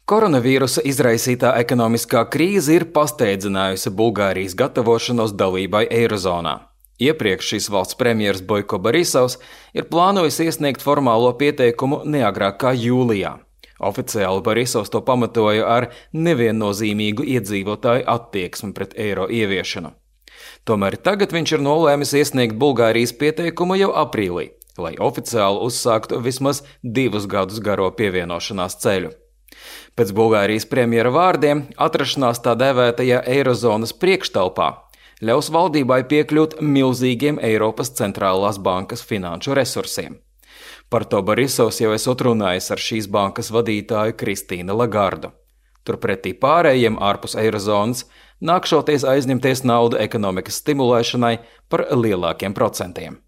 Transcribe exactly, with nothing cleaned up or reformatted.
Koronavīrusa izraisītā ekonomiskā krīze ir pasteidzinājusi Bulgārijas gatavošanos dalībai Eirozonā. Iepriekš šīs valsts premjeras Boiko Borisovs ir plānojis iesniegt formālo pieteikumu neagrāk kā jūlijā. Oficiāli Borisovs to pamatoja ar neviennozīmīgu iedzīvotāju attieksmi pret eiro ieviešanu. Tomēr tagad viņš ir nolēmis iesniegt Bulgārijas pieteikumu jau aprīlī, lai oficiāli uzsāktu vismaz divus gadus garo pievienošanās ceļu. Pēc Bulgārijas premjera vārdiem, atrašanās tā dēvētajā Eirozonas priekštelpā ļaus valdībai piekļūt milzīgiem Eiropas centrālās bankas finanšu resursiem. Par to Borisovs jau esot runājis ar šīs bankas vadītāju Kristīnu Lagardu. Turpretī pārējiem ārpus Eirozonas nākšoties aizņemties naudu ekonomikas stimulēšanai par lielākiem procentiem.